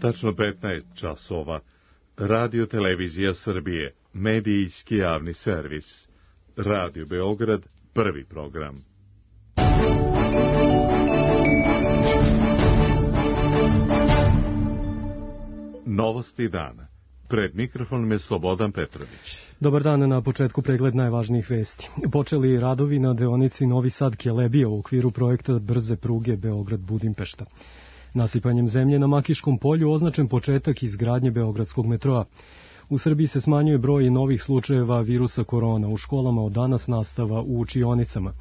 Tačno 15 časova. Radio Televizija Srbije, medijski javni servis. Radio Beograd, prvi program. Novosti dana. Pred mikrofonom je Slobodan Petrović. Dobar dan, na početku pregled najvažnijih vesti. Počeli radovi na deonici Novi Sad-Kelebija u okviru projekta brze pruge Beograd-Budimpešta. Nasipanjem zemlje na Makiškom polju označen početak izgradnje beogradskog metroa. U Srbiji se smanjuje broj novih slučajeva virusa korona. U školama od danas nastava u učionicama.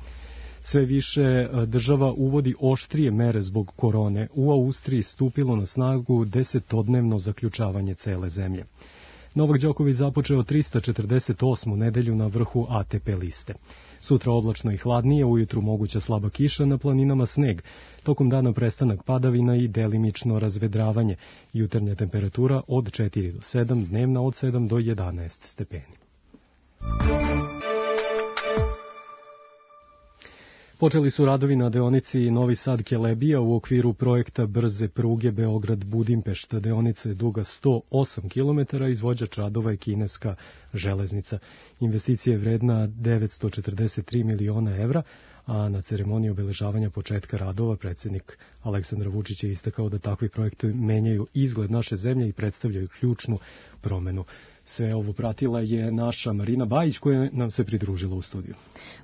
Sve više država uvodi oštrije mere zbog korone. U Austriji stupilo na snagu 10-dnevno zaključavanje cele zemlje. Novak Đoković započeo 348. nedelju na vrhu ATP liste. Sutra oblačno i hladnije, ujutru moguća slaba kiša, na planinama sneg. Tokom dana prestanak padavina i delimično razvedravanje. Jutarnja temperatura od 4 do 7, dnevna od 7 do 11 stepeni. Počeli su radovi na deonici Novi Sad-Kelebija u okviru projekta brze pruge Beograd-Budimpešta. Deonica je duga 108 km, izvođač radova je kineska železnica. Investicija je vredna 943 miliona evra, a na ceremoniji obeležavanja početka radova predsjednik Aleksandar Vučić je istakao da takvi projekti menjaju izgled naše zemlje i predstavljaju ključnu promenu. Sve ovo pratila je naša Marina Bajić koja nam se pridružila u studiju.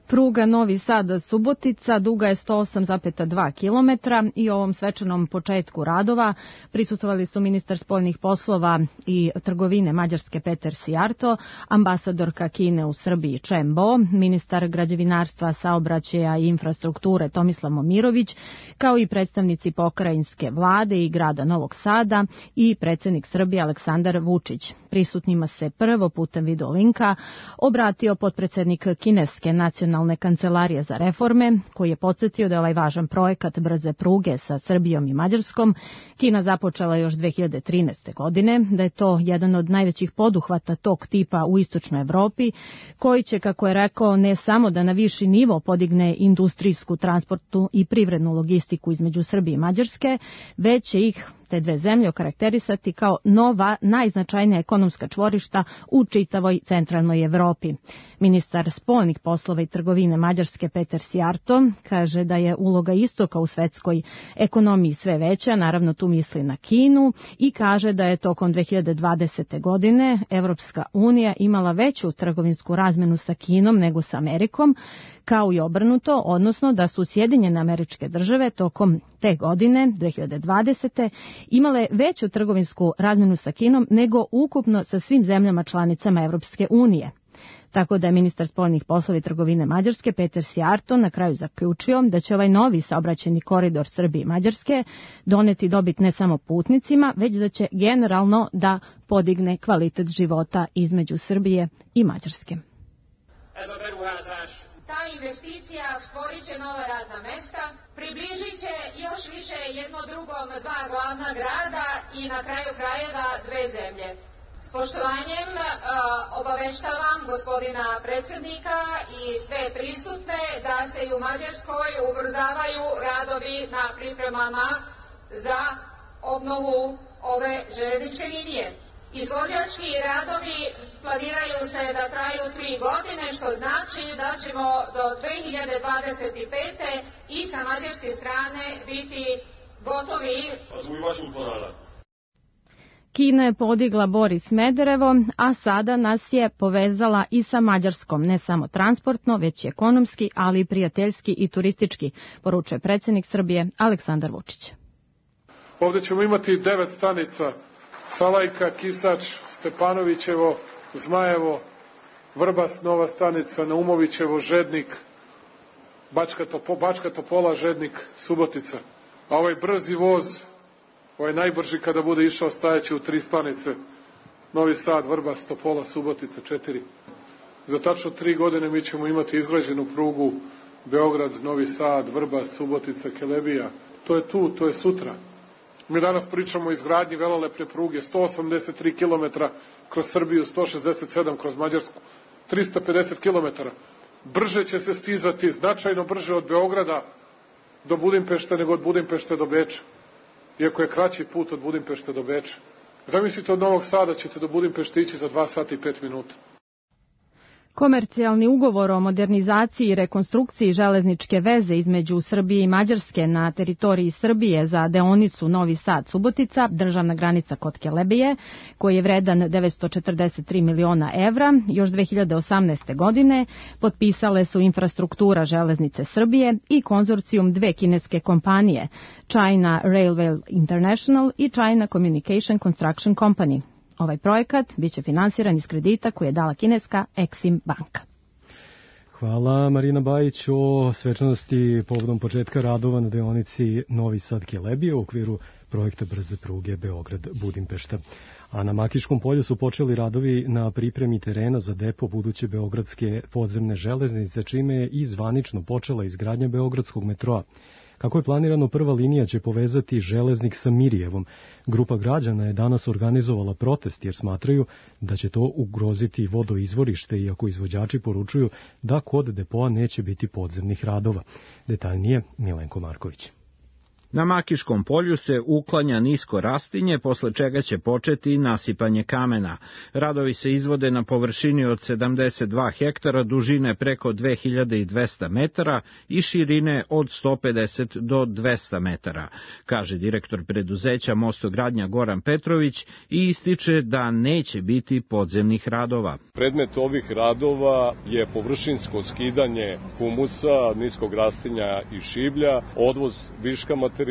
Pruga Novi Sad-Subotica duga je 108,2 km i ovom svečanom početku radova prisustvovali su ministar spoljnih poslova i trgovine Mađarske Peter Sijarto, ambasadorka Kine u Srbiji Chen Bo, ministar građevinarstva, saobraćaja i infrastrukture Tomislav Momirović, kao i predstavnici pokrajinske vlade i grada Novog Sada i predsjednik Srbije Aleksandar Vučić. Prisutnima se prvo putem video linka obratio potpredsjednik kineske nacionalne kancelarije za reforme, koji je podsjetio da je ovaj važan projekat brze pruge sa Srbijom i Mađarskom Kina započela još 2013. godine, da je to jedan od najvećih poduhvata tog tipa u istočnoj Evropi, koji će, kako je rekao, ne samo da na viši nivo podigne industrijsku, transportnu i privrednu logistiku između Srbije i Mađarske, već će ih te dve zemlje okarakterisati kao nova, najznačajnija ekonomska čvorišta u čitavoj centralnoj Evropi. Ministar spoljnih poslova i trgovine Mađarske Peter Sijarto kaže da je uloga istoka u svetskoj ekonomiji sve veća, naravno tu misli na Kinu, i kaže da je tokom 2020. godine Evropska unija imala veću trgovinsku razmenu sa Kinom nego sa Amerikom, kao i obrnuto, odnosno da su Sjedinjene Američke Države tokom te godine, 2020. imale veću trgovinsku razmenu sa Kinom nego ukupno sa svim zemljama članicama Evropske unije. Tako da je ministar spoljnih poslova i trgovine Mađarske Peter Sijarto na kraju zaključio da će ovaj novi saobraćajni koridor Srbije i Mađarske doneti dobit ne samo putnicima, već da će generalno podigne kvalitet života između Srbije i Mađarske. Ta investicija stvorit će nova radna mesta, približit će još više jedno drugom dva glavna grada i na kraju krajeva dve zemlje. S poštovanjem obaveštavam gospodina predsjednika i sve prisutne da se i u Mađarskoj ubrzavaju radovi na pripremama za obnovu ove železničke linije. Izvođački radovi planiraju se da traju 3 godine, što znači da ćemo do 2025. i sa mađarske strane biti gotovi. Kina je podigla Bor i Smederevo, a sada nas je povezala i sa Mađarskom, ne samo transportno, već i ekonomski, ali i prijateljski i turistički, poručuje predsjednik Srbije Aleksandar Vučić. Ovdje ćemo imati 9 stanica: Salajka, Kisač, Stepanovićevo, Zmajevo, Vrbas, nova stanica, Naumovićevo, Žednik, Bačka Topola, Žednik, Subotica. A ovaj brzi voz, ovaj najbrži kada bude išao, stajaće u 3 stanice: Novi Sad, Vrbas, Topola, Subotica, 4. Za tačno 3 godine mi ćemo imati izgrađenu prugu Beograd, Novi Sad, Vrbas, Subotica, Kelebija. To je tu, to je sutra. Mi danas pričamo o izgradnji velelepne pruge, 183 km kroz Srbiju, 167 kroz Mađarsku, 350 km. Brže će se stizati, značajno brže od Beograda do Budimpešte nego od Budimpešte do Beča. iako je kraći put od Budimpešte do Beča. Zamislite, od Novog Sada ćete do Budimpešte ići za 2 sata i 5 minuta. Komercijalni ugovor o modernizaciji i rekonstrukciji železničke veze između Srbije i Mađarske na teritoriji Srbije za deonicu Novi Sad-Subotica, državna granica kod Kelebije, koji je vredan 943 miliona evra, još 2018. godine potpisale su Infrastruktura železnice Srbije i konzorcijum dve kineske kompanije, China Railway International i China Communication Construction Company. Ovaj projekat biće finansiran iz kredita koji je dala kineska Exim banka. Hvala Marina Bajić o svečanosti povodom početka radova na deonici Novi Sad-Kelebije u okviru projekta brze pruge Beograd-Budimpešta. A na Makiškom polju su počeli radovi na pripremi terena za depo buduće beogradske podzemne železnice, čime je i zvanično počela izgradnja beogradskog metroa. Kako je planirano, prva linija će povezati Železnik sa Mirjevom. Grupa građana je danas organizovala protest jer smatraju da će to ugroziti vodoizvorište, iako izvođači poručuju da kod depoa neće biti podzemnih radova. Detaljnije Milenko Marković. Na Makiškom polju se uklanja nisko rastinje, posle čega će početi nasipanje kamena. Radovi se izvode na površini od 72 hektara, dužine preko 2200 metara i širine od 150 do 200 metara, kaže direktor preduzeća Mostogradnja Goran Petrović i ističe da neće biti podzemnih radova. Predmet ovih radova je površinsko skidanje humusa, niskog rastinja i šiblja, odvoz viška materijala,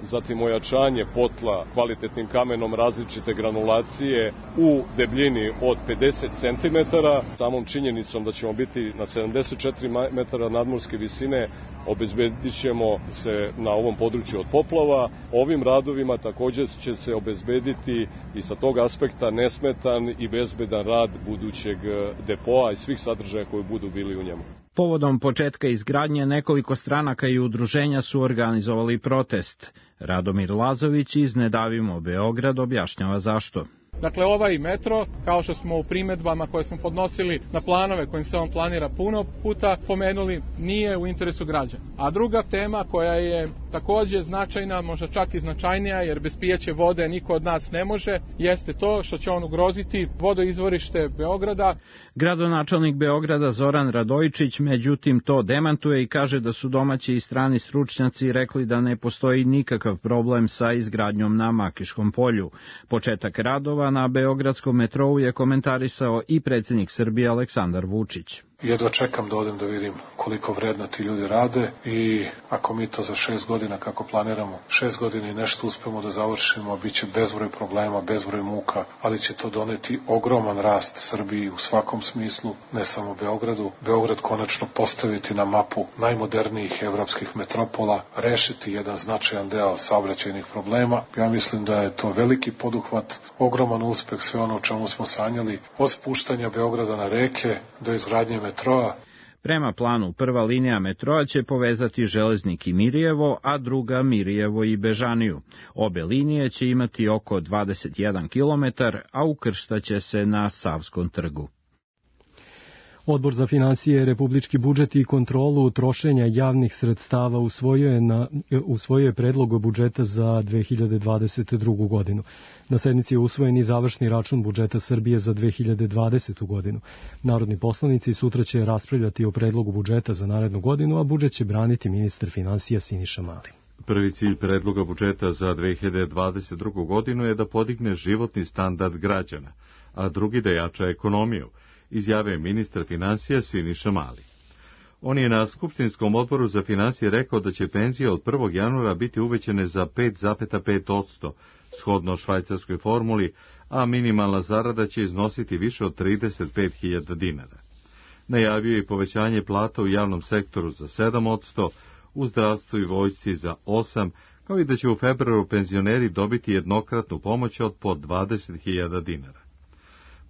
zatim ojačanje potla kvalitetnim kamenom različite granulacije u debljini od 50 cm. Samom činjenicom da ćemo biti na 74 metara nadmorske visine, obezbedit ćemo se na ovom području od poplava. Ovim radovima također će se obezbediti i sa tog aspekta nesmetan i bezbedan rad budućeg depoa i svih sadržaja koji budu bili u njemu. Povodom početka izgradnje nekoliko stranaka i udruženja su organizovali protest. Radomir Lazović iz Ne davimo Beograd objašnjava zašto. Dakle, ovaj metro, kao što smo u primedbama koje smo podnosili na planove kojim se on planira puno puta pomenuli, nije u interesu građana. A druga tema koja je također značajna, možda čak i značajnija, jer bez pijeće vode niko od nas ne može, jeste to što će on ugroziti vodoizvorište Beograda. Gradonačelnik Beograda Zoran Radojičić međutim to demantuje i kaže da su domaći i strani stručnjaci rekli da ne postoji nikakav problem sa izgradnjom na Makiškom polju. Početak radova na beogradskom metrou je komentarisao i predsjednik Srbije Aleksandar Vučić. Jedva čekam da odem da vidim koliko vredno ti ljudi rade i ako mi to za 6 godina kako planiramo, 6 godina i nešto uspemo da završimo, bit će bezbroj problema, bezbroj muka, ali će to doneti ogroman rast Srbiji u svakom smislu, ne samo Beogradu. Beograd konačno postaviti na mapu najmodernijih evropskih metropola, rešiti jedan značajan deo saobraćajnih problema. Ja mislim da je to veliki poduhvat, ogroman uspeh, sve ono o čemu smo sanjali, od spuštanja Beograda na reke do izgradnje metroa. Prema planu, prva linija metroa će povezati Železnik i Mirjevo, a druga Mirjevo i Bežaniju. Obe linije će imati oko 21 km, a ukrštaće se na Savskom trgu. Odbor za finansije, republički budžet i kontrolu trošenja javnih sredstava usvojio je predlog budžeta za 2022. godinu. Na sednici je usvojen i završni račun budžeta Srbije za 2020. godinu. Narodni poslanici sutra će raspravljati o predlogu budžeta za narednu godinu, a budžet će braniti ministar finansija Siniša Mali. Prvi cilj predloga budžeta za 2022. godinu je da podigne životni standard građana, a drugi da jača ekonomiju, izjavio ministar finansija Siniša Mali. On je na Skupštinskom odboru za finansije rekao da će penzije od 1. januara biti uvećane za 5,5%, shodno švajcarskoj formuli, a minimalna zarada će iznositi više od 35.000 dinara. Najavio je i povećanje plata u javnom sektoru za 7%, u zdravstvu i vojsci za 8%, kao i da će u februaru penzioneri dobiti jednokratnu pomoć od po 20.000 dinara.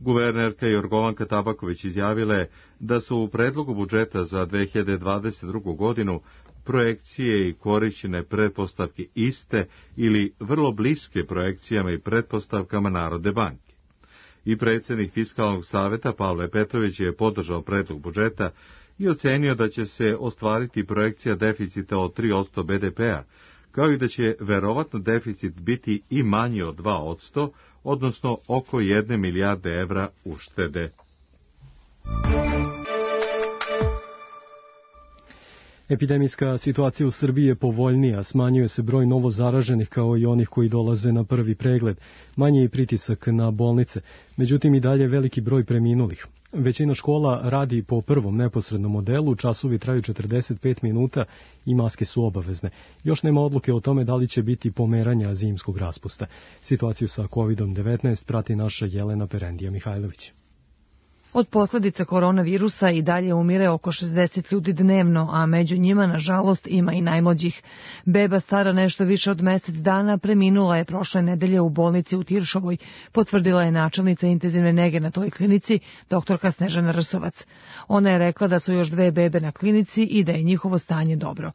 Guvernerka Jorgovanka Tabaković izjavila je da su u predlogu budžeta za 2022. godinu projekcije i korišćene pretpostavke iste ili vrlo bliske projekcijama i pretpostavkama Narodne banke. I predsjednik Fiskalnog saveta Pavle Petrović je podržao predlog budžeta i ocenio da će se ostvariti projekcija deficita od 3% BDP-a, kao i da će verovatno deficit biti i manji od 2%, odnosno oko 1 milijarde evra uštede. Epidemijska situacija u Srbiji je povoljnija, smanjuje se broj novo zaraženih kao i onih koji dolaze na prvi pregled, manji je pritisak na bolnice, međutim i dalje veliki broj preminulih. Većina škola radi po prvom neposrednom modelu, časovi traju 45 minuta i maske su obavezne. Još nema odluke o tome da li će biti pomeranja zimskog raspusta. Situaciju sa COVID-19 prati naša Jelena Perendija Mihajlović. Od posljedica koronavirusa i dalje umire oko 60 ljudi dnevno, a među njima, nažalost, ima i najmlađih. Beba stara nešto više od mesec dana preminula je prošle nedelje u bolnici u Tiršovoj, potvrdila je načelnica intenzivne nege na toj klinici, doktorka Snežana Rsovac. Ona je rekla da su još 2 bebe na klinici i da je njihovo stanje dobro.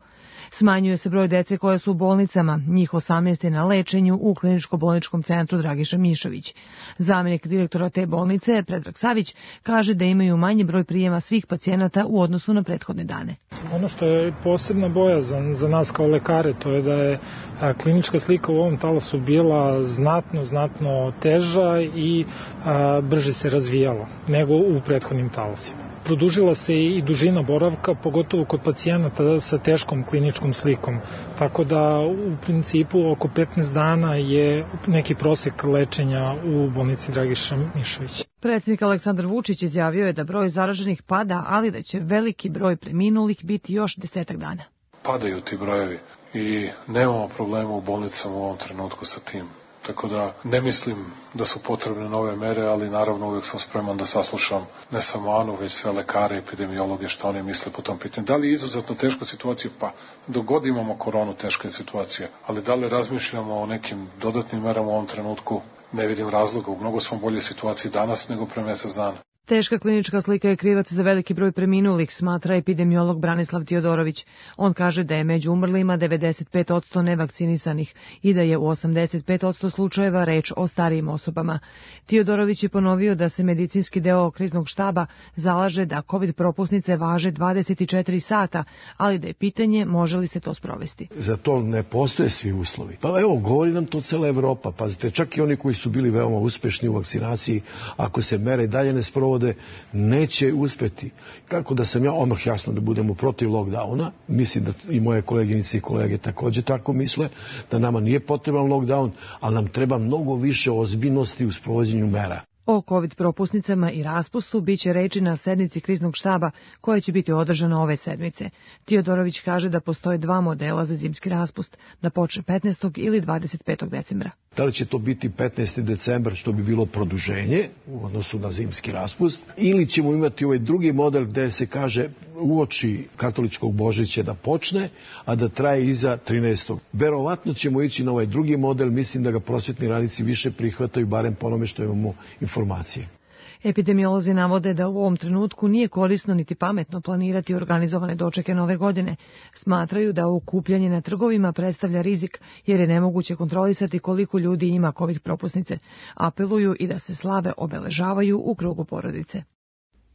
Smanjuje se broj dece koja su u bolnicama, njih 18 je na lečenju u kliničko-bolničkom centru Dragiša Mišović. Zamjenik direktora te bolnice, Predrag Savić, kaže da imaju manji broj prijema svih pacijenata u odnosu na prethodne dane. Ono što je posebna bojazan za nas kao lekare, to je da je klinička slika u ovom talasu bila znatno teža i brže se razvijala nego u prethodnim talasima. Produžila se i dužina boravka, pogotovo kod pacijenata sa teškom kliničkom slikom. Tako da u principu oko 15 dana je neki prosek lečenja u bolnici Dragiša Mišović. Predsjednik Aleksandar Vučić izjavio je da broj zaraženih pada, ali da će veliki broj preminulih biti još 10 dana. Padaju ti brojevi i nemamo problema u bolnicama u ovom trenutku sa tim. Tako da ne mislim da su potrebne nove mere, ali naravno uvijek sam spreman da saslušam ne samo Anu, već sve lekare, epidemiologe, što oni misle po tom pitanju. Da li je izuzetno teška situacija? Pa, dok god imamo koronu, teška je situacija. Ali da li razmišljamo o nekim dodatnim merama u ovom trenutku? Ne vidim razloga. U mnogo smo bolje situaciji danas nego pre mjesec dana. Teška klinička slika je krivac za veliki broj preminulih, smatra epidemiolog Branislav Tiodorović. On kaže da je među umrlima 95% nevakcinisanih i da je u 85% slučajeva reč o starijim osobama. Tiodorović je ponovio da se medicinski deo kriznog štaba zalaže da COVID propusnice važe 24 sata, ali da je pitanje može li se to sprovesti. Za to ne postoje svi uslovi. Pa evo, govori nam to cela Evropa. Pazite, čak i oni koji su bili veoma uspešni u vakcinaciji, ako se mere dalje ne sprovode, neće uspeti. Kako da sam ja odmah jasno da budemo protiv lockdowna, mislim da i moje koleginice i kolege također tako misle, da nama nije potreban lockdown, ali nam treba mnogo više ozbiljnosti u sprovođenju mera. O COVID propusnicama i raspustu biće reči na sednici kriznog štaba koja će biti održana ove sedmice. Tiodorović kaže da postoje 2 modela za zimski raspust, da počne 15. ili 25. decembra. Da li će to biti 15. decembar, što bi bilo produženje u odnosu na zimski raspust, ili ćemo imati ovaj drugi model gde se kaže uoči katoličkog Božića da počne, a da traje iza 13. Verovatno ćemo ići na ovaj drugi model, mislim da ga prosvetni radnici više prihvataju, barem po onome što imamo informacije. Epidemiolozi navode da u ovom trenutku nije korisno niti pametno planirati organizovane dočeke nove godine. Smatraju da okupljanje na trgovima predstavlja rizik, jer je nemoguće kontrolisati koliko ljudi ima COVID propusnice. Apeluju i da se slave obeležavaju u krugu porodice.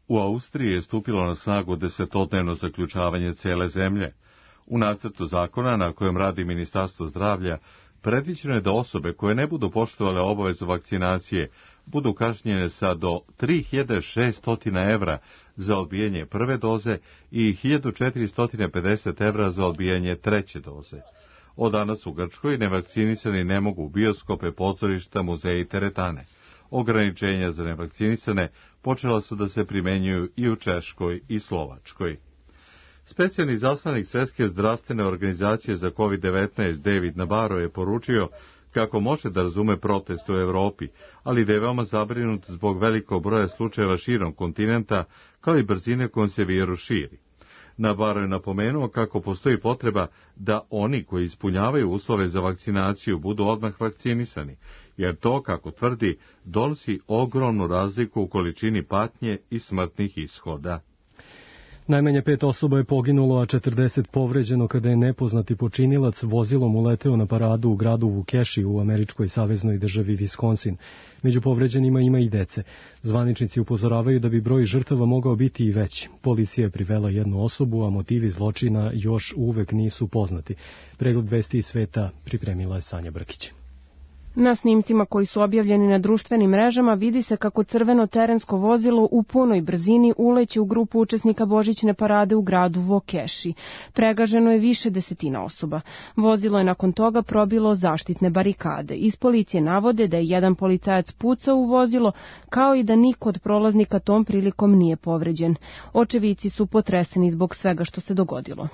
U Austriji je stupilo na snagu 10-dnevno zaključavanje cele zemlje. U nacrtu zakona na kojem radi Ministarstvo zdravlja predviđeno je da osobe koje ne budu poštovale obavezu vakcinacije budu kažnjene sa do 3.600 evra za odbijanje prve doze i 1.450 evra za odbijanje treće doze. Od danas u Grčkoj nevakcinisani ne mogu u bioskope, pozorišta, muzeje i teretane. Ograničenja za nevakcinisane počela su da se primenjuju i u Češkoj i Slovačkoj. Specijalni izaslanik Svjetske zdravstvene organizacije za COVID-19 David Nabarro je poručio kako može da razume protest u Evropi, ali da je veoma zabrinut zbog velikog broja slučajeva širom kontinenta, kao i brzine kojom se virus širi. Nabarro je napomenuo kako postoji potreba da oni koji ispunjavaju uslove za vakcinaciju budu odmah vakcinisani, jer to, kako tvrdi, donosi ogromnu razliku u količini patnje i smrtnih ishoda. Najmanje 5 osoba je poginulo, a 40 povređeno kada je nepoznati počinilac vozilom uleteo na paradu u gradu Vukeši u američkoj saveznoj državi Wisconsin. Među povređenima ima i dece. Zvaničnici upozoravaju da bi broj žrtava mogao biti i veći. Policija je privela jednu osobu, a motivi zločina još uvek nisu poznati. Pregled vesti iz sveta pripremila je Sanja Brkić. Na snimcima koji su objavljeni na društvenim mrežama vidi se kako crveno terensko vozilo u punoj brzini uleće u grupu učesnika božićne parade u gradu Vukeši. Pregaženo je više desetina osoba. Vozilo je nakon toga probilo zaštitne barikade. Iz policije navode da je jedan policajac pucao u vozilo, kao i da niko od prolaznika tom prilikom nije povređen. Očevici su potreseni zbog svega što se dogodilo.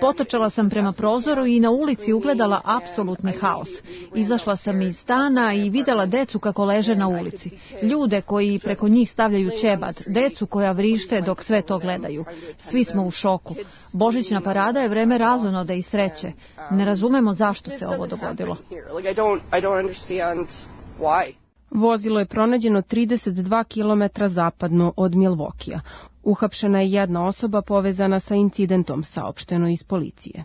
Potrčala sam prema prozoru i na ulici ugledala apsolutni haos. Izašla sam iz stana i videla decu kako leže na ulici. Ljude koji preko njih stavljaju ćebad, decu koja vrište dok sve to gledaju. Svi smo u šoku. Božićna parada je vreme razonoda i sreće. Ne razumemo zašto se ovo dogodilo. Vozilo je pronađeno 32 km zapadno od Milvokija. Uhapšena je jedna osoba povezana sa incidentom, saopšteno iz policije.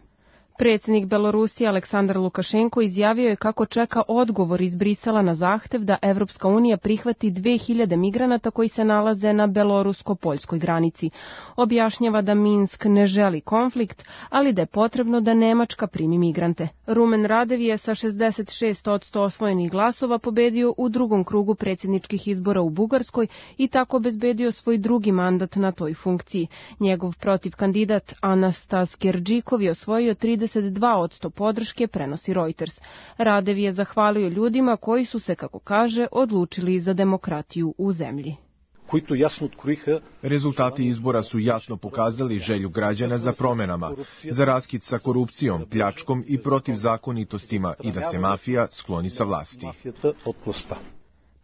Predsjednik Belorusije Aleksandar Lukašenko izjavio je kako čeka odgovor iz Brisela na zahtev da Evropska unija prihvati 2000 migranata koji se nalaze na belorusko-poljskoj granici. Objašnjava da Minsk ne želi konflikt, ali da je potrebno da Nemačka primi migrante. Rumen Radev je sa 66% osvojenih glasova pobedio u drugom krugu predsjedničkih izbora u Bugarskoj i tako obezbedio svoj drugi mandat na toj funkciji. Njegov protivkandidat Anastas Gerđikov je osvojio 32% podrške, prenosi Reuters. Radev je zahvalio ljudima koji su se, kako kaže, odlučili za demokratiju u zemlji. Rezultati izbora su jasno pokazali želju građana za promenama, za raskid sa korupcijom, pljačkom i protivzakonitostima i da se mafija skloni sa vlasti.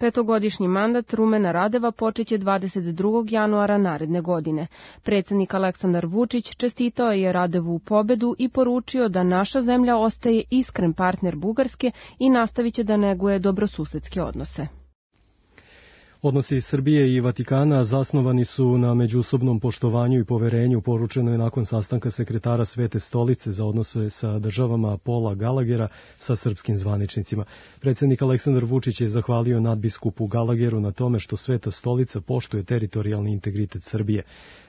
Petogodišnji mandat Rumena Radeva počeće 22. januara naredne godine. Predsjednik Aleksandar Vučić čestitao je Radevu pobedu i poručio da naša zemlja ostaje iskren partner Bugarske i nastavit će da neguje dobrosusedske odnose. Odnosi Srbije i Vatikana zasnovani su na međusobnom poštovanju i poverenju, poručeno je nakon sastanka sekretara Svete stolice za odnose sa državama Paula Gallaghera sa srpskim zvaničnicima. Predsjednik Aleksandar Vučić je zahvalio nadbiskupu Gallagheru na tome što Sveta stolica poštuje teritorijalni integritet Srbije.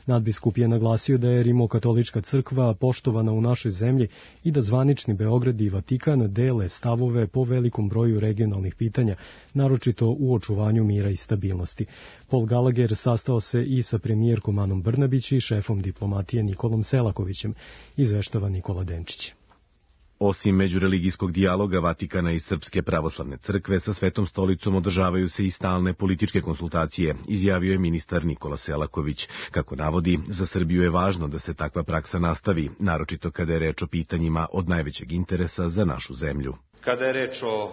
Nadbiskup je naglasio da je Rimokatolička crkva poštovana u našoj zemlji i da zvanični Beograd i Vatikan dele stavove po velikom broju regionalnih pitanja, naročito u očuvanju mira i stabilnosti. Paul Gallagher sastao se i sa premijerkom Anom Brnabić i šefom diplomatije Nikolom Selakovićem, izveštava Nikola Denčić. Osim međureligijskog dijaloga Vatikana i Srpske pravoslavne crkve, sa Svetom stolicom održavaju se i stalne političke konsultacije, izjavio je ministar Nikola Selaković. Kako navodi, za Srbiju je važno da se takva praksa nastavi, naročito kada je reč o pitanjima od najvećeg interesa za našu zemlju. Kada je reč o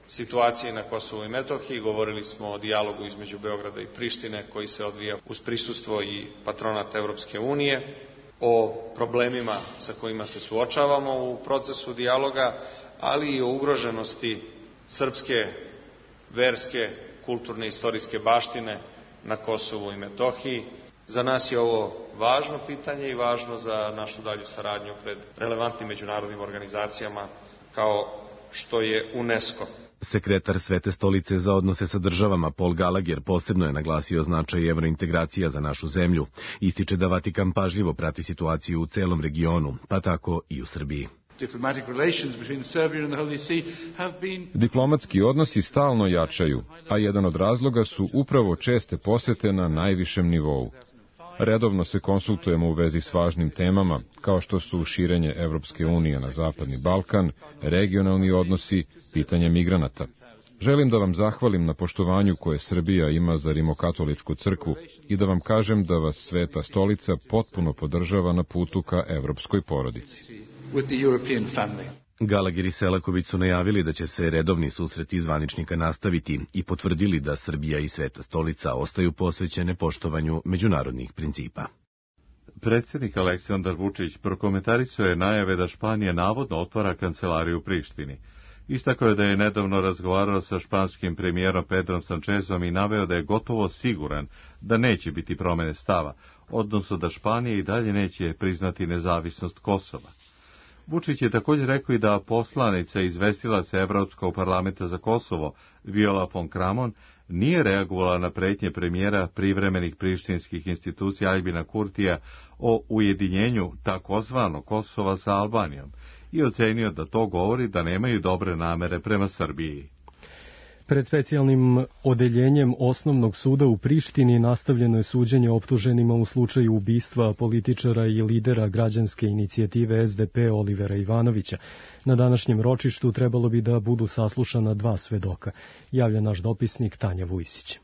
situaciji na Kosovu i Metohiji, govorili smo o dijalogu između Beograda i Prištine koji se odvija uz prisustvo i patronat Evropske unije, o problemima sa kojima se suočavamo u procesu dijaloga, ali i o ugroženosti srpske, verske, kulturne i istorijske baštine na Kosovu i Metohiji. Za nas je ovo važno pitanje i važno za našu dalju saradnju pred relevantnim međunarodnim organizacijama kao što je UNESCO. Sekretar Svete stolice za odnose sa državama Paul Gallagher posebno je naglasio značaj evrointegracija za našu zemlju. Ističe da Vatikan pažljivo prati situaciju u celom regionu, pa tako i u Srbiji. Diplomatski odnosi stalno jačaju, a jedan od razloga su upravo česte posete na najvišem nivou. Redovno se konsultujemo u vezi s važnim temama, kao što su širenje Evropske unije na Zapadni Balkan, regionalni odnosi, pitanje migranata. Želim da vam zahvalim na poštovanju koje Srbija ima za Rimokatoličku crkvu i da vam kažem da vas Sveta stolica potpuno podržava na putu ka evropskoj porodici. Gallagher i Selaković su najavili da će se redovni susreti zvaničnika nastaviti i potvrdili da Srbija i Sveta stolica ostaju posvećene poštovanju međunarodnih principa. Predsjednik Aleksandar Vučić prokomentarisao je najave da Španija navodno otvara kancelariju u Prištini. Istakao je da je nedavno razgovarao sa španskim premijerom Pedrom Sanchezom i naveo da je gotovo siguran da neće biti promene stava, odnosno da Španija i dalje neće priznati nezavisnost Kosova. Vučić je također rekao i da poslanica izvestilaca Evropskog parlamenta za Kosovo, Viola von Kramon, nije reagovala na pretnje premijera privremenih prištinskih institucija Aljbina Kurtija o ujedinjenju takozvanog Kosova sa Albanijom i ocenio da to govori da nemaju dobre namere prema Srbiji. Pred specijalnim odeljenjem Osnovnog suda u Prištini nastavljeno je suđenje optuženima u slučaju ubistva političara i lidera građanske inicijative SDP Olivera Ivanovića. Na današnjem ročištu trebalo bi da budu saslušana 2 svedoka, javlja naš dopisnik Tanja Vujsić.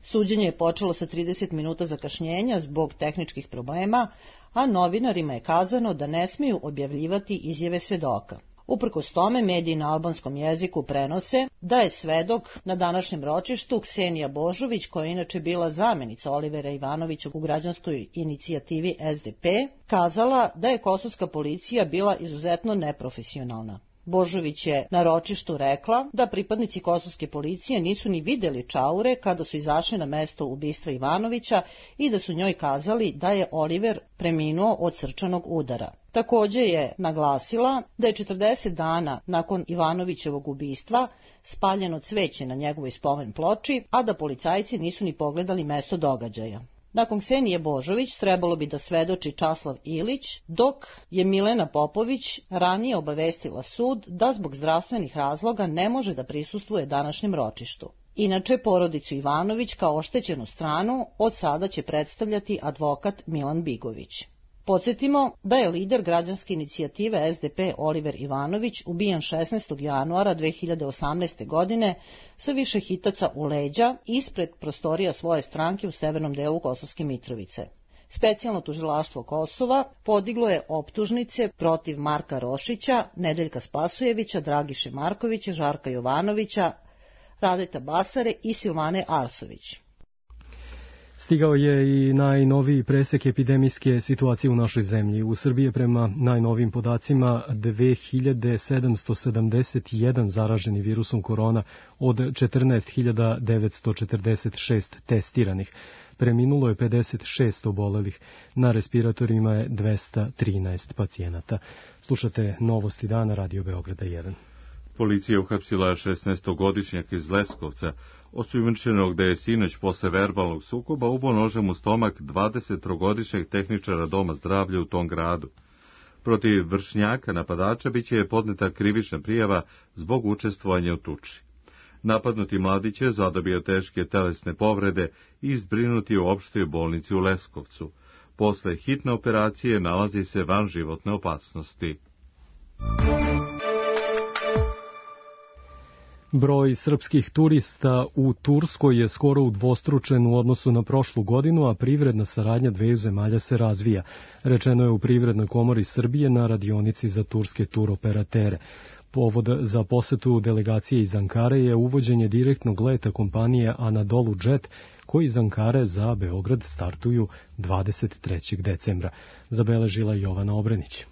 Suđenje je počelo sa 30 minuta zakašnjenja zbog tehničkih problema, a novinarima je kazano da ne smiju objavljivati izjave svedoka. Uprkos tome, mediji na albanskom jeziku prenose da je svedok na današnjem ročištu Ksenija Božović, koja je inače bila zamenica Olivera Ivanovića u građanskoj inicijativi SDP, kazala da je kosovska policija bila izuzetno neprofesionalna. Božović je na ročištu rekla da pripadnici kosovske policije nisu ni videli čaure kada su izašli na mesto ubistva Ivanovića i da su njoj kazali da je Oliver preminuo od srčanog udara. Također je naglasila da je 40 dana nakon Ivanovićevog ubistva spaljeno cveće na njegovoj spomen ploči, a da policajci nisu ni pogledali mesto događaja. Nakon Ksenije Božović trebalo bi da svedoči Časlav Ilić, dok je Milena Popović ranije obavestila sud da zbog zdravstvenih razloga ne može da prisustvuje današnjem ročištu. Inače, porodicu Ivanović kao oštećenu stranu od sada će predstavljati advokat Milan Bigović. Podsjetimo da je lider građanske inicijative SDP Oliver Ivanović ubijen 16. januara 2018. godine sa više hitaca u leđa ispred prostorija svoje stranke u severnom delu Kosovske Mitrovice. Specijalno tužilaštvo Kosova podiglo je optužnice protiv Marka Rošića, Nedeljka Spasujevića, Dragiše Markovića, Žarka Jovanovića, Radeta Basare i Silvane Arsović. Stigao je i najnoviji presek epidemijske situacije u našoj zemlji. U Srbiji je prema najnovim podacima 2771 zaraženi virusom korona od 14.946 testiranih. Preminulo je 56 obolelih. Na respiratorima je 213 pacijenata. Slušate Novosti dana, Radio Beograda 1. Policija uhapsila 16-godišnjaka iz Leskovca, osumnjičenog da je sinoć posle verbalnog sukoba ubao nožem u stomak 23-godišnjeg tehničara doma zdravlja u tom gradu. Protiv vršnjaka napadača biće podneta krivična prijava zbog učestvovanja u tuči. Napadnuti mladić je zadobio teške telesne povrede i zbrinuti u opštoj bolnici u Leskovcu. Posle hitne operacije nalazi se van životne opasnosti. Broj srpskih turista u Turskoj je skoro udvostručen u odnosu na prošlu godinu, a privredna saradnja dveju zemalja se razvija. Rečeno je u Privrednoj komori Srbije na radionici za turske turoperatere. Povod za posetu delegacije iz Ankare je uvođenje direktnog leta kompanije Anadolu Jet, koji iz Ankare za Beograd startuju 23. decembra. Zabeležila Jovana Obrenić.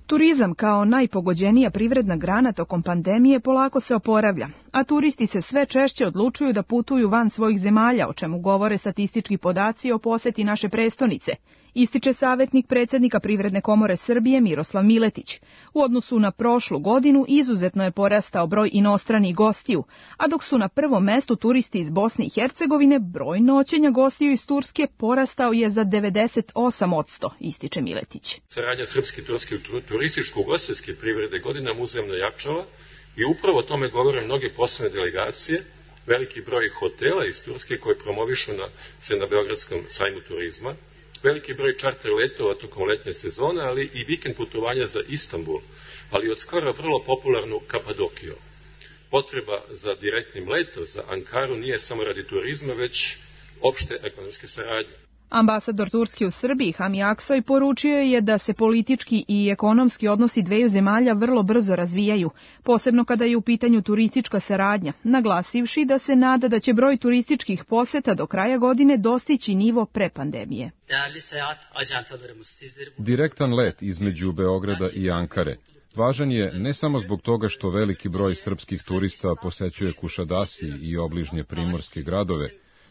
Turizam kao najpogođenija privredna grana tokom pandemije polako se oporavlja, a turisti se sve češće odlučuju da putuju van svojih zemalja, o čemu govore statistički podaci o poseti naše prestonice, ističe savjetnik predsjednika Privredne komore Srbije Miroslav Miletić. U odnosu na prošlu godinu izuzetno je porastao broj inostranih gostiju, a dok su na prvom mestu turisti iz Bosne i Hercegovine, broj noćenja gostiju iz Turske porastao je za 98%, ističe Miletić. Saradnja srpske i turske turističko-ugostiteljske privrede godinama uzajamno jačala i upravo o tome govore mnoge poslovne delegacije, veliki broj hotela iz Turske koje promovišu se na Beogradskom sajmu turizma, veliki broj čarter letova tokom letnje sezone, ali i vikend putovanja za Istanbul, ali od skoro vrlo popularnu Kapadokiju. Potreba za direktnim letom za Ankaru nije samo radi turizma, već opšte ekonomske saradnje. Ambasador Turske u Srbiji Hami Aksoy poručio je da se politički i ekonomski odnosi dveju zemalja vrlo brzo razvijaju, posebno kada je u pitanju turistička saradnja, naglasivši da se nada da će broj turističkih poseta do kraja godine dostići nivo pre pandemije. Direktan let između Beograda i Ankare Važan je ne samo zbog toga što veliki broj srpskih turista posećuje Kušadasi i obližnje primorske gradove,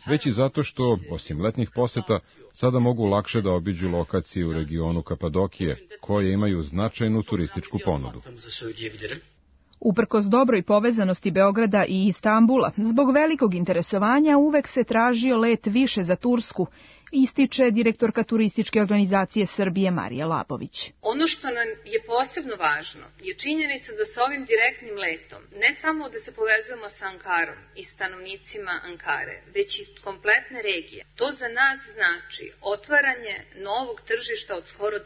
već i zato što, osim letnjih poseta, sada mogu lakše da obiđu lokacije u regionu Kapadokije, koje imaju značajnu turističku ponudu. Uprkos dobroj povezanosti Beograda i Istambula, zbog velikog interesovanja uvek se tražio let više za Tursku, ističe direktorka turističke organizacije Srbije Marija Labović. Ono što nam je posebno važno je činjenica da sa ovim direktnim letom ne samo da se povezujemo sa Ankarom i stanovnicima Ankare, već i kompletne regije. To za nas znači otvaranje novog tržišta od skoro 10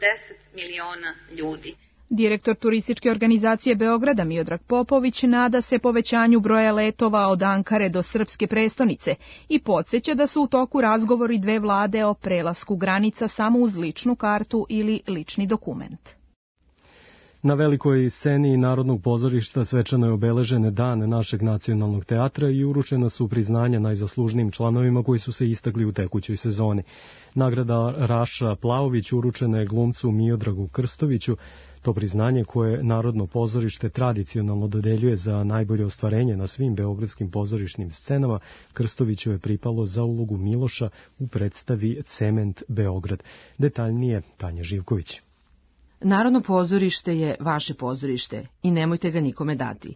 miliona ljudi. Direktor turističke organizacije Beograda Miodrag Popović nada se povećanju broja letova od Ankare do srpske prestonice i podsjeća da su u toku razgovori dve vlade o prelasku granica samo uz ličnu kartu ili lični dokument. Na velikoj sceni Narodnog pozorišta svečano je obeležen dan našeg nacionalnog teatra i uručena su priznanja najzaslužnijim članovima koji su se istakli u tekućoj sezoni. Nagrada Raša Plaović uručena je glumcu Miodragu Krstoviću. To priznanje koje Narodno pozorište tradicionalno dodeljuje za najbolje ostvarenje na svim beogradskim pozorišnim scenama, Krstoviću je pripalo za ulogu Miloša u predstavi Cement Beograd. Detaljnije Tanja Živković. Narodno pozorište je vaše pozorište i nemojte ga nikome dati.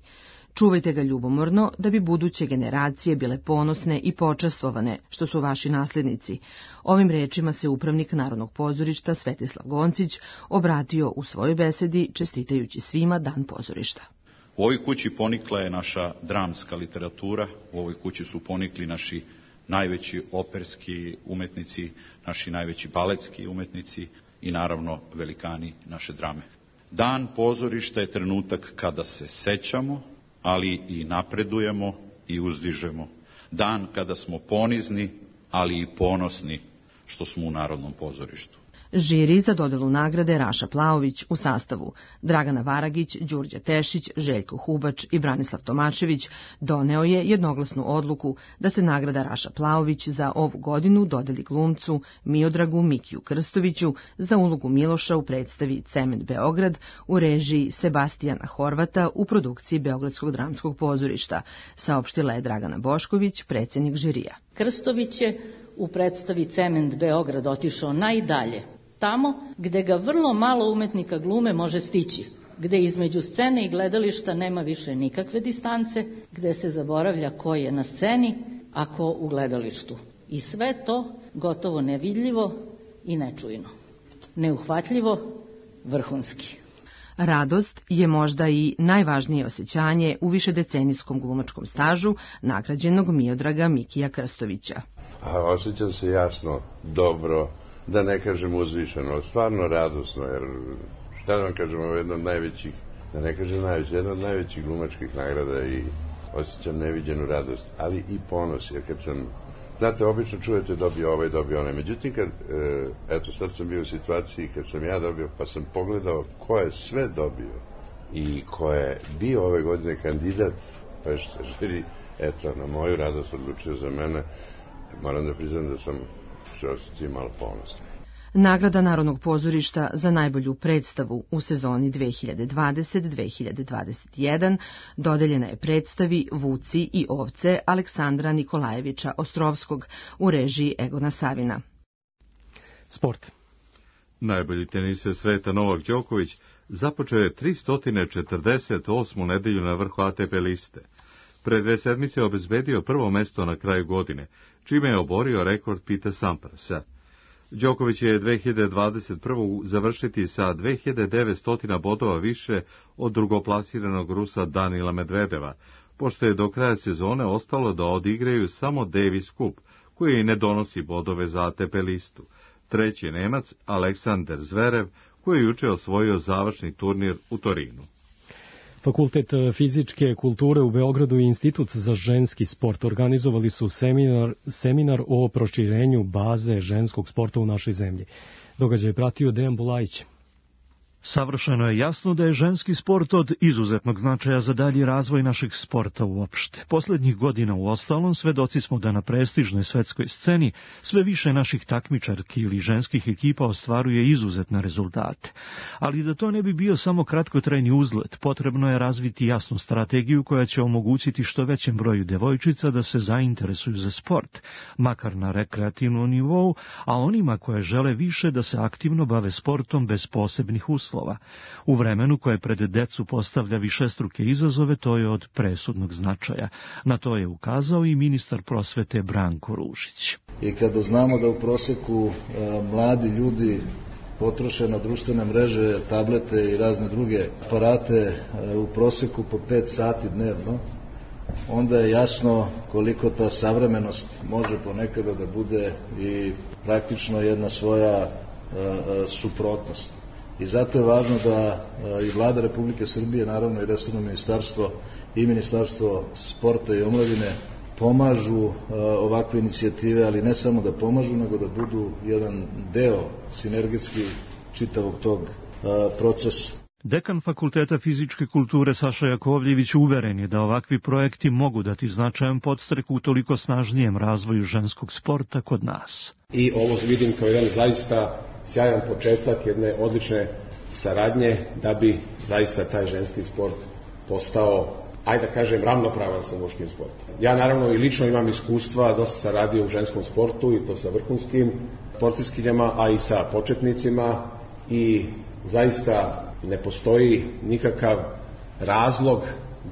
Čuvajte ga ljubomorno da bi buduće generacije bile ponosne i počastvovane što su vaši naslednici. Ovim rečima se upravnik Narodnog pozorišta Svetislav Goncić obratio u svojoj besedi čestitajući svima Dan pozorišta. U ovoj kući ponikla je naša dramska literatura, u ovoj kući su ponikli naši najveći operski umetnici, naši najveći baletski umetnici i naravno velikani naše drame. Dan pozorišta je trenutak kada se sećamo, ali i napredujemo i uzdižemo. Dan kada smo ponizni, ali i ponosni što smo u Narodnom pozorištu. Žiri za dodelu nagrade Raša Plaović u sastavu Dragana Varagić, Đurđa Tešić, Željko Hubač i Branislav Tomašević doneo je jednoglasnu odluku da se nagrada Raša Plaović za ovu godinu dodeli glumcu Miodragu Mikiju Krstoviću za ulogu Miloša u predstavi Cement Beograd u režiji Sebastijana Horvata u produkciji Beogradskog dramskog pozorišta, saopštila je Dragana Bošković, predsjednik žirija. Krstović je u predstavi Cement Beograd otišao najdalje, tamo gde ga vrlo malo umetnika glume može stići, gde između scene i gledališta nema više nikakve distance, gde se zaboravlja ko je na sceni, a ko u gledalištu. I sve to gotovo nevidljivo i nečujno. Neuhvatljivo, vrhunski. Radost je možda i najvažnije osjećanje u višedecenijskom glumačkom stažu nagrađenog Miodraga Mikija Krstovića. Osjećam se jasno, dobro, da ne kažem uzvišeno, stvarno radosno, jer šta da vam kažem, ovo je jedna od najvećih, da ne kažem najvećih, jedna od najvećih glumačkih nagrada i osjećam neviđenu radost, ali i ponos, jer kad sam, znate, obično čujete dobio ovaj, dobio onaj, međutim kad, eto, sad sam bio u situaciji kad sam ja dobio, pa sam pogledao ko je sve dobio i ko je bio ove godine kandidat, pa još se žiri, eto, na moju radost odlučio za mene, moram da priznam da sam se osjećao malo ponosno. Nagrada Narodnog pozorišta za najbolju predstavu u sezoni 2020-2021 dodeljena je predstavi Vuci i ovce Aleksandra Nikolajevića Ostrovskog u režiji Egona Savina. Sport. Najbolji teniser sveta Novak Đoković započeo je 348. nedelju na vrhu ATP liste. Pre 2 sedmice obezbedio prvo mesto na kraju godine, čime je oborio rekord Pete Samprasa. Đoković je 2021. završiti sa 2900 bodova više od drugoplasiranog Rusa Danila Medvedeva, pošto je do kraja sezone ostalo da odigraju samo Davis Cup, koji ne donosi bodove za ATP listu. Treći Nemac, Aleksander Zverev, koji je juče osvojio završni turnir u Torinu. Fakultet fizičke kulture u Beogradu i Institut za ženski sport organizovali su seminar o proširenju baze ženskog sporta u našoj zemlji. Događaj je pratio Dejan Bulajić. Savršeno je jasno da je ženski sport od izuzetnog značaja za dalji razvoj našeg sporta uopšte. Poslednjih godina u ostalom svedoci smo da na prestižnoj svetskoj sceni sve više naših takmičarki ili ženskih ekipa ostvaruje izuzetne rezultate. Ali da to ne bi bio samo kratkotrajni uzlet, potrebno je razviti jasnu strategiju koja će omogućiti što većem broju devojčica da se zainteresuju za sport, makar na rekreativnom nivou, a onima koje žele više da se aktivno bave sportom bez posebnih uslova. U vremenu koje pred decu postavlja višestruke izazove, to je od presudnog značaja. Na to je ukazao i ministar prosvete Branko Ružić. I kada znamo da u proseku mladi ljudi potroše na društvene mreže, tablete i razne druge aparate u proseku po 5 sati dnevno, onda je jasno koliko ta savremenost može ponekada da bude i praktično jedna svoja suprotnost. I zato je važno da i Vlada Republike Srbije, naravno i resorno ministarstvo i Ministarstvo sporta i omladine pomažu ovakve inicijative, ali ne samo da pomažu, nego da budu jedan deo sinergetski čitavog tog procesa. Dekan Fakulteta fizičke kulture Saša Jakovljević uveren je da ovakvi projekti mogu dati značajan podstrek u toliko snažnijem razvoju ženskog sporta kod nas. I ovo vidim kao jedan zaista sjajan početak jedne odlične saradnje da bi zaista taj ženski sport postao, ajde da kažem, ravnopravan sa muškim sportom. Ja naravno i lično imam iskustva, dosta sam radio u ženskom sportu i to sa vrhunskim sportistkinjama, a i sa početnicima i zaista ne postoji nikakav razlog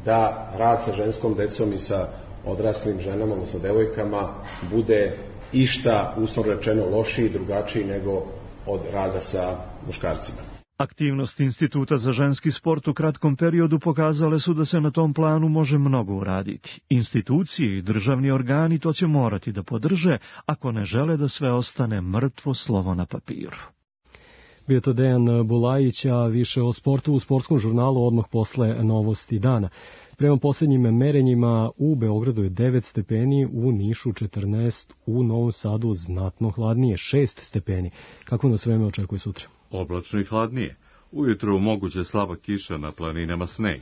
da rad sa ženskom decom i sa odraslim ženama, odnosno devojkama, bude išta, uslovno rečeno, lošiji, drugačiji nego od rada sa muškarcima. Aktivnost Instituta za ženski sport u kratkom periodu pokazale su da se na tom planu može mnogo uraditi. Institucije i državni organi to će morati da podrže ako ne žele da sve ostane mrtvo slovo na papiru. Bio to Dejan Bulajić, a više o sportu u sportskom žurnalu odmah posle novosti dana. Prema posljednjim merenjima u Beogradu je 9 stepeni, u Nišu 14, u Novom Sadu znatno hladnije 6 stepeni. Kako nas vreme očekuje sutra? Oblačno i hladnije. Ujutru moguće slaba kiša, na planinama sneg.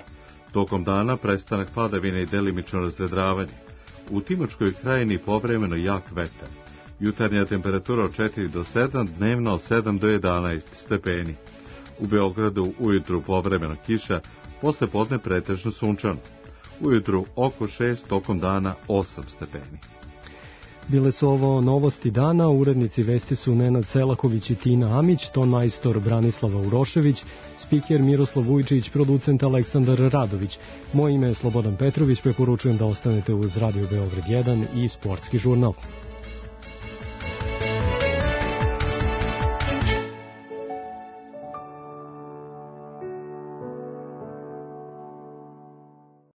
Tokom dana prestanak padavine i delimično razvedravanje. U Timočkoj krajini povremeno jak vetar. Jutarnja temperatura od 4 do 7, dnevno od 7 do 11 stepeni. U Beogradu ujutru povremeno kiša, posle podne pretežno sunčano. Ujutru oko 6, tokom dana 8 stepeni. Bile su ovo novosti dana, urednici vesti su Nenad Selaković i Tina Amić, ton majstor Branislava Urošević, spiker Miroslav Vujčić, producent Aleksandar Radović. Moje ime je Slobodan Petrović, preporučujem da ostanete uz Radio Beograd 1 i Sportski žurnal.